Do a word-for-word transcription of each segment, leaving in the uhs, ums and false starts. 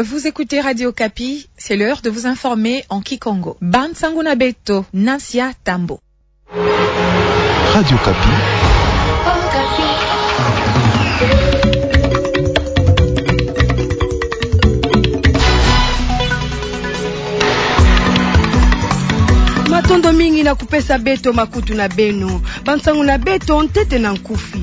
Vous écoutez Radio Okapi, c'est l'heure de vous informer en kikongo. Bansangu na beto, Nasia Tambo. Radio Okapi. Matondo mingi na kupesa beto makutu na beno. Bansangu na beto ntete na nkufi.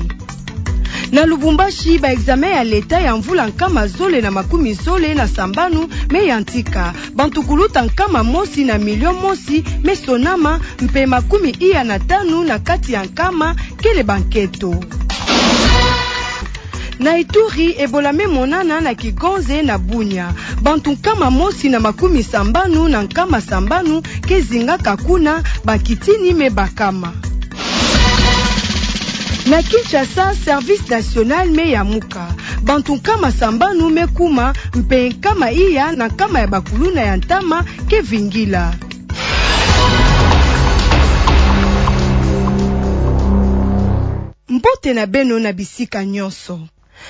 Na Lubumbashi, ba examen ya leta ya mvula nkama zole na makumi zole na sambanu me yantika. Bantu kuluta nkama mosi na milio mosi me sonama, mpe makumi iya na tanu na kati ya nkama kele bankento. Na Ituri, Ebola me monana na Kigonze na Bunia. Bantu nkama mosi na makumi sambanu na nkama sambanu ke zingaka kuna, bakitini me bakama. Na Kinshasa, Service National me yamuka. Bantu nkama sambanu me kuma, mpe nkama iya na nkama ya bakuluna ya ntama ke vingila. Mbote na beno na bisika nyonso.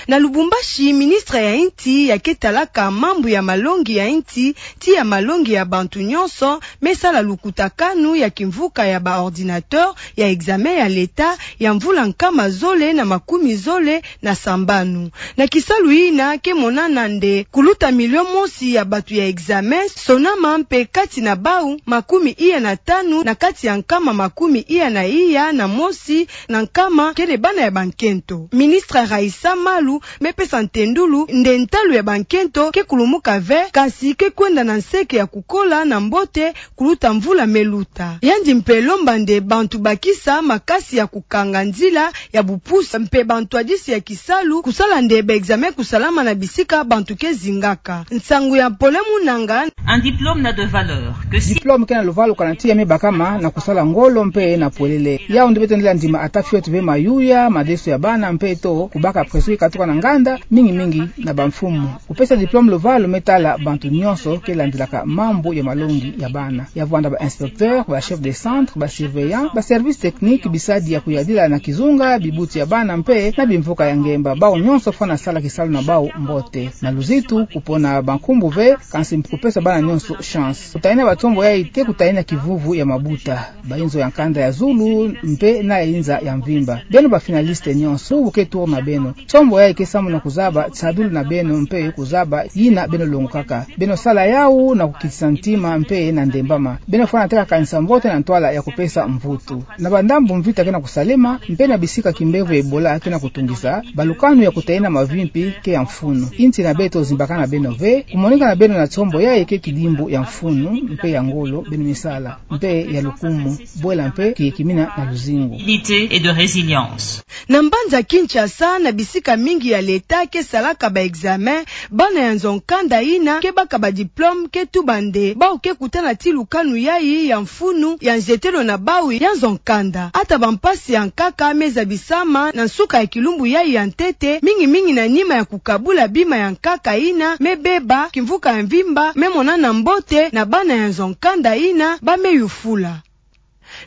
Na Lubumbashi, ministre ya insi ya ke talaka mambu ya malongi ya insi, ti ya malongi ya bantu nyonso, me sala lukutakanu ya kimvuka ya ba ordinateur ya examen ya leta ya mvula nkama zole na makumi zole na sambanu. Na kisalu yina ke monana nde kuluta milio mosi ya bantu ya examen sonama, mpe kati na bau makumi iya na tanu na kati ya nkama makumi iya na iya na mosi na nkama kele bana ya bankento. Ministre Raissa Malu me pesa ntendulu nde ntalu ya bankento ke kulumuka ve, kasi ke kwenda na nseke ya kukola na mbote kuluta mvula me luta. Yandi mpe lomba nde bantu bakisa makasi ya kukanga nzila ya bupusi, mpe bantwadisi ya kisalu kusala nde ba examen kusalama na bisika bantu ke zingaka. Nsangu ya Paulin Munanga. Un diplôme n'a de valeur que si... Diplôme ke na luvalu kana ti ya me bakama na kusala ngolo mpe na pwelele. Yau nde beto ndila ndima ata fioti ve mayuya, madeso ya bana mpe to kubaka pression katuka na nganda, mingi mingi na bamfumu. Kupesa diplôme luvalu me tala bantu nyonso ke landilaka mambu ya malongi ya bana. Ya vwanda ba inspecteur, ba chef de centre, ba surveillant, ba service technique, bisadi ya kuyadila na kizunga, bibuti ya bana mpe na bimvuka ya ngemba. Bau nyonso fwana sala kisalu na bau mbote. Na luzitu, kupona bankumbu ve, kansi kupesa bana nyonso chance. Kutayina batsombo yai ke kutayina kivuvu ya mabuta. Ba inzo ya nkanda ya zulu mpe na ya inza ya mvimba. Beno ba finaliste nyonso, bubu ke tour na beno. Tsombo yai ke samu na kuzaba tsadulu na beno mpe kuzaba yina beno longokaka. Beno sala yau na kukitisa ntima mpe na ndembama. Beno fwana teka kanisa mbote na ntwala ya kupesa mvutu. Na bandambu mvita ke na kusalema, mpe na bisika kimbevo ya Ebola ke na kutungisa, balukanu ya kutayina mavimpi ke ya mfunu. Insi na beto zimbakana beno ve, kumonika na beno na tsombo yai ke kidimbu ya mfunu mpe ya ngolo beno me sala, mpe ya lukumu, bwela mpe kiyekimina na luzingu. Unité et de résilience. Na mbanza Kinshasa, na bisika mingi ya leta ke salaka ba examen, bana ya nzo nkanda yina ke baka ba diplôme ke tuba nde bau ke kutana ti lukanu yai ya mfunu ya nzetelo na bau ya nzo nkanda. Ata bampasi ya nkaka me zabisama na nsuka ya kilumbu yai ya ntete, mingi mingi na nima ya kukabula bima ya nkaka yina me beba, kimvuka ya mvimba me monana mbote na bana ya nzo nkanda yina ba me yufula.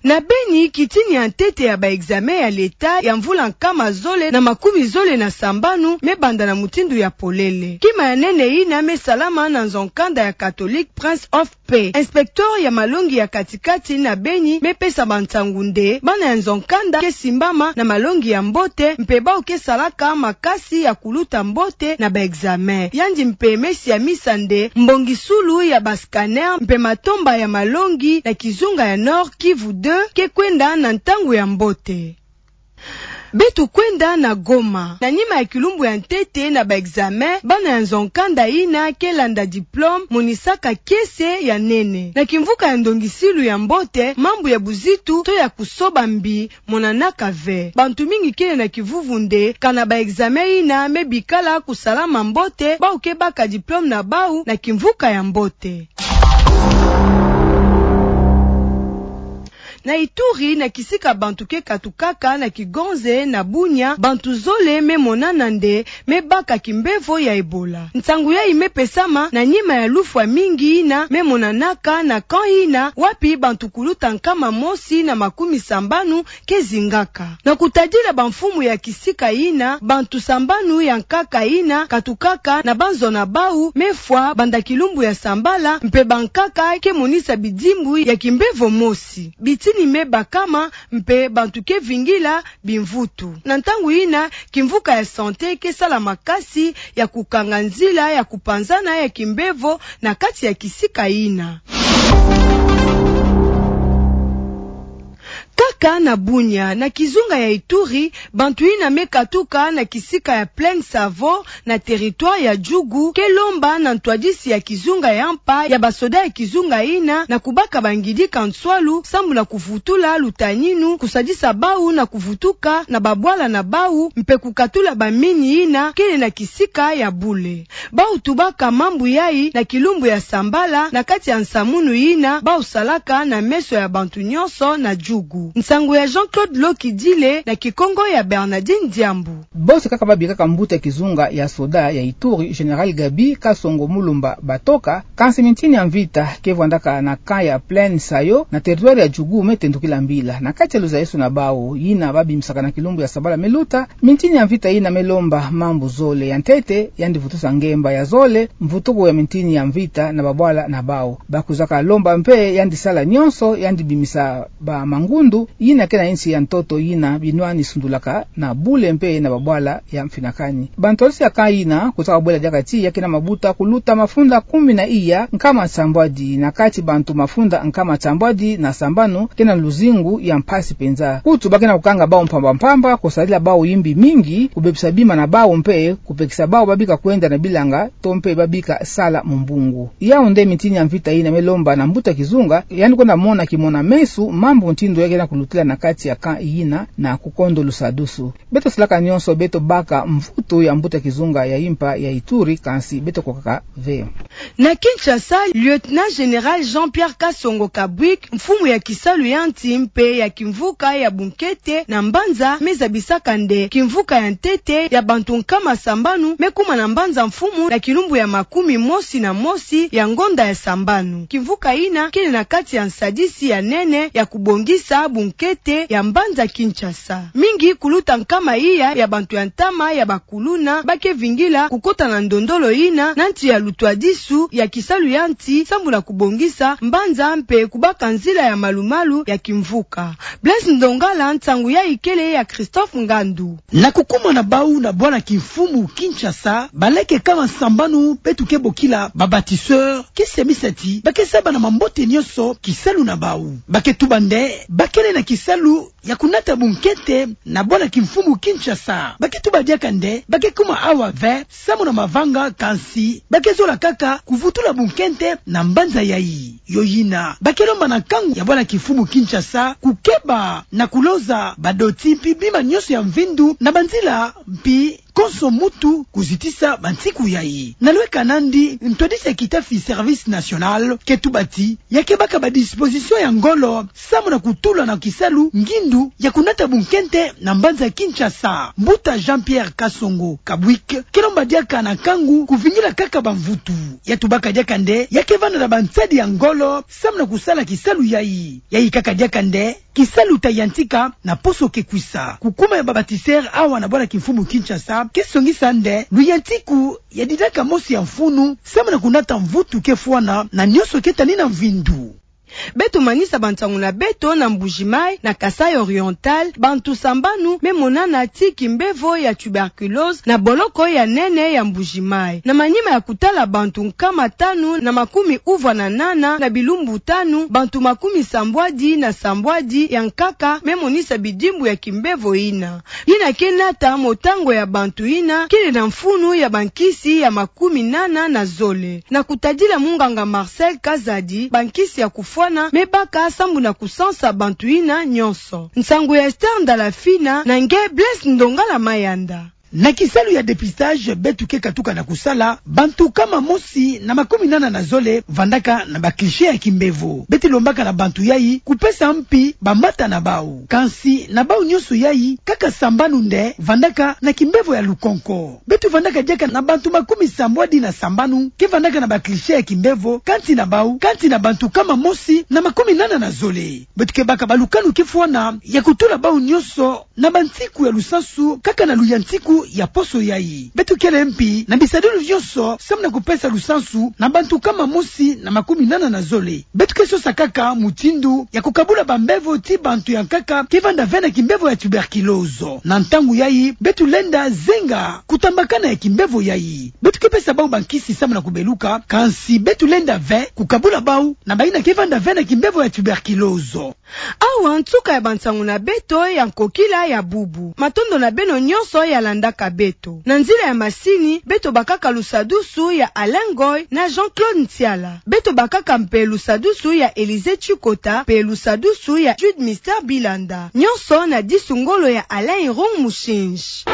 Na Beni, kitini ya ntete ya ba examen ya leta ya mvula nkama zole na makumi zole na sambanu me banda na mutindu ya polele. Kima ya nene yina me salama na nzo nkanda ya Catholique Prince of Paix. Inspecteur ya malongi ya katikati na Beni me pesa bansangu nde bana ya nzo nkanda ke simbama na malongi ya mbote, mpe bau ke salaka makasi ya kuluta mbote na ba examen. Yandi mpe me siamisa nde mbongisulu ya ba scanner mpe matomba ya malongi na kizunga ya Nord Kivu deux ke kwenda na ntangu ya mbote. Beto kwenda na Goma. Na nima ya kilumbu ya ntete na ba examen, bana ya nzo nkanda yina ke landa diplôme monisaka kiese ya nene. Na kimvuka ya ndongisilu ya mbote, mambu ya buzitu to ya kusoba mbi monanaka ve. Bantu mingi kele na kivuvu nde kana ba examen yina me bikala kusalama mbote, bau ke baka diplôme na bau na kimvuka ya mbote. Na Ituri, na kisika bantu ke katukaka na kigonze na Bunia, bantu zole me monana nde me baka kimbevo ya Ebola. Nsangu yayi me pesama na nima ya lufwa mingi yina me monanaka na camp yina, wapi bantu kuluta nkama mosi na makumi sambanu ke zingaka. Na kutadila bamfumu ya kisika yina, bantu sambanu ya nkaka yina katukaka na banzo na bawu me fwa banda kilumbu ya sambala, mpe bankaka ke monisa bidimbu ya kimbevo mosi. Bitini me bakama, mpe bantu ke vingila bimvutu. Na ntangu yina, kimvuka ya santé ke sala makasi ya kukanga nzila ya kupanzana ya kimbevo na kati ya kisika yina. Kaka na Bunia, na kizunga ya Ituri, bantu yina me katuka na kisika ya Plaine Savo, na territoire ya Djugu, ke lomba na ntwadisi ya kizunga ya mpa ya basoda ya kizunga yina na kubaka bangidika nswalu sambu na kuvutula lutaninu, kusadisa bawu na kuvutuka na babwala na bawu, mpe kukatula bamini yina kele na kisika ya bule. Bawu tubaka mambu yayi na kilumbu ya sambala na kati ya nsamunu yina bawu salaka na meso ya bantu nyonso na Djugu. Nsangu ya Jean-Claude Lokidile na Kikongo ya Bernardine Diambu. Bosi kaka babikaka mbuta kizunga ya soda ya Ituri, Général Gaby Kasongo Mulumba Batoka, kansi mintini ya mvita ke vwandaka na camp ya Plaine Sayo, na territoire ya Djugu, me tendukila mbila. Na kati ya luzayisu na bawu, yina babimisaka na kilumbu ya sambala me luta, mintini ya mvita yina me lomba mambu zole. Ya ntete, yandi vutusa ngemba. Ya zole, mvutuku ya mintini ya mvita na babwala na bawu. Bakwizaka lomba mpe yandi sala nyonso, yandi bimisa bamangundu yina ke na insi ya ntoto yina binwani sundulaka na bule mpe na babwala ya mfinakani. Bantwadisi ya camp yina kwizaka bwela diaka ti ya ke na mabuta kuluta mafunda kumi na iya nkama sambwadi, na kati bantu mafunda nkama sambwadi na sambanu ke na luzingu ya mpasi penza. Kutu ba ke na kukanga bawu mpamba mpamba, kusadila bawu yimbi mingi, kubebisa bima na bawu mpe kupekisa bawu babika kwenda na bilanga, to mpe babika sala mu mbungu. Yawu nde mintini ya mvita yina me lomba na mbuta kizunga, yandi kwenda mona kimona-meso mambu ntindo ya ke na kulutila na kati ya camp yina na kukondo lusadusu. Beto salaka nyonso beto baka mvutu ya mbuta kizunga ya yimpa ya Ituri, kansi beto kokaka ve. Na Kinshasa, Lieutenant Général Jean-Pierre Kasongo Kabwik, mfumu ya kisalu ya nsi mpe ya kimvuka ya bunkete na mbanza, me zabisaka nde kimvuka ya ntete ya bantu nkama sambanu me kuma na mbanza-mfumu na kilumbu ya makumi mosi na mosi ya ngonda ya sambanu. Kimvuka yina kele na kati ya nsadisi ya nene ya kubongisa bunkete ya mbanza Kinshasa. Mingi kuluta nkama iya ya bantu ya ntama ya bakuluna ba ke vingila kukota na ndondolo yina na nti ya lutwadisu ya kisalu ya nsi sambu na kubongisa mbanza mpe kubaka nzila ya malumalu ya kimvuka. Blaise Ndongala, nsangu yayi kele ya Christophe Ngandu. Na kukuma na bawu na bwala kimfumu Kinshasa, baleke nkama sambanu beto ke bokila ba bâtisseurs, ke semisa ti ba ke saba na mambote nyonso kisalu na bawu. Ba ke tuba nde ba kele na kisalu ya kunata bunkete na bwala kimfumu Kinshasa. Ba ke tuba diaka nde ba ke kuma awa ve sambu na mavanga, kansi ba ke zola kaka kuvutula bunkete na mbanza yayi. Yo yina ba ke lomba na nkangu ya bwala kimfumu Kinshasa kukeba na kuloza badoti mpi bima nyonso ya mvindu na banzila, mpi konso muntu kuzitisa bansiku yayi. Na lweka nandi, ntwadisi ya kitafi Service National ke tuba ti ya ke baka ba dispositions ya ngolo sambu na kutula na kisalu ngindu ya kunata bunkete na mbanza Kinshasa. Mbuta Jean-Pierre Kasongo Kabwik ke lomba diaka na nkangu kuvingila kaka bamvutu. Ya tubaka diaka nde ya ke vanda na bansadi ya ngolo sambu na kusala kisalu yayi. Yayi kaka diaka nde kisalu ta yantika na poso ke kwisa. Kukuma ya ba bâtisseurs awa na bwala kimfumu Kinshasa ke songisa nde luyantiku ya didaka mosi ya mfunu sambu na kunata mvutu ke fwana na nyonso ke tani na mvindu. Beto manisa bansangu na beto na Mbuji-Mayi, na Kasaï Oriental, bantu sambanu me monana ti kimbevo ya tuberculose na boloko ya nene ya Mbuji-Mayi. Na manima ya kutala bantu nkama tanu na makumi uvwa na nana na bilumbu tanu, bantu makumi sambwadi na sambwadi ya nkaka me monisa bidimbu ya kimbevo yina. Yina ke nata motango ya bantu yina kele na mfunu ya bankisi ya makumi nana na zole. Na kutadila munganga Marcel Kazadi, bankisi ya kufwana me baka sambu na kusansa bantu yina nyonso. Nsangu ya Esther Ndalafina, na nge Blaise Ndongala Mayanda. Na kisalu ya dépistage beto ke katuka na kusala, bantu kama mosi na makuminana na zole vandaka na ba clichés ya kimbevo. Beto lombaka na bantu yai kupesa mpi bambata na bau. Kansi na bau nyonso yai, kaka sambanu nde vandaka na kimbevo ya lukonko. Beto vandaka diaka na bantu makumisambwadi na sambanu ke vandaka na ba clichés ya kimbevo, kati na bau, kati na bantu kama mosi na makuminana na zole. Beto ke baka balukanu ke fwana ya kutula bau nyonso na bansiku ya lusansu, kaka na luya nsiku ya poso yai. Beto kele mpi na bisadulu nyonso samu na kupesa lusansu na bantu kama mosi na makuminana na zole. Beto ke sosa kaka mutindu ya kukabula bambevo ti bantu ya nkaka ke vanda ve na kimbevo ya tuberculose. Na ntangu yai, beto lenda zenga kutambakana ya kimbevo yai. Beto ke pesa bau bankisi samu na kubeluka, kansi beto lenda ve kukabula bau na bayina ke vanda ve na kimbevo ya tuberculose. Awa nsuka ya bansangu na beto ya nkokila ya bubu. Matondo na beno nyonso ya landaka beto. Na nzila ya masini, beto bakaka lusadusu ya Alain Ngoy na Jean-Claude Nsiala. Beto bakaka mpe lusadusu ya Élisée Tchikota, mpe lusadusu ya Jude Mister Bilanda. Nyonso na disu ngolo ya Alain Irung Mushinji.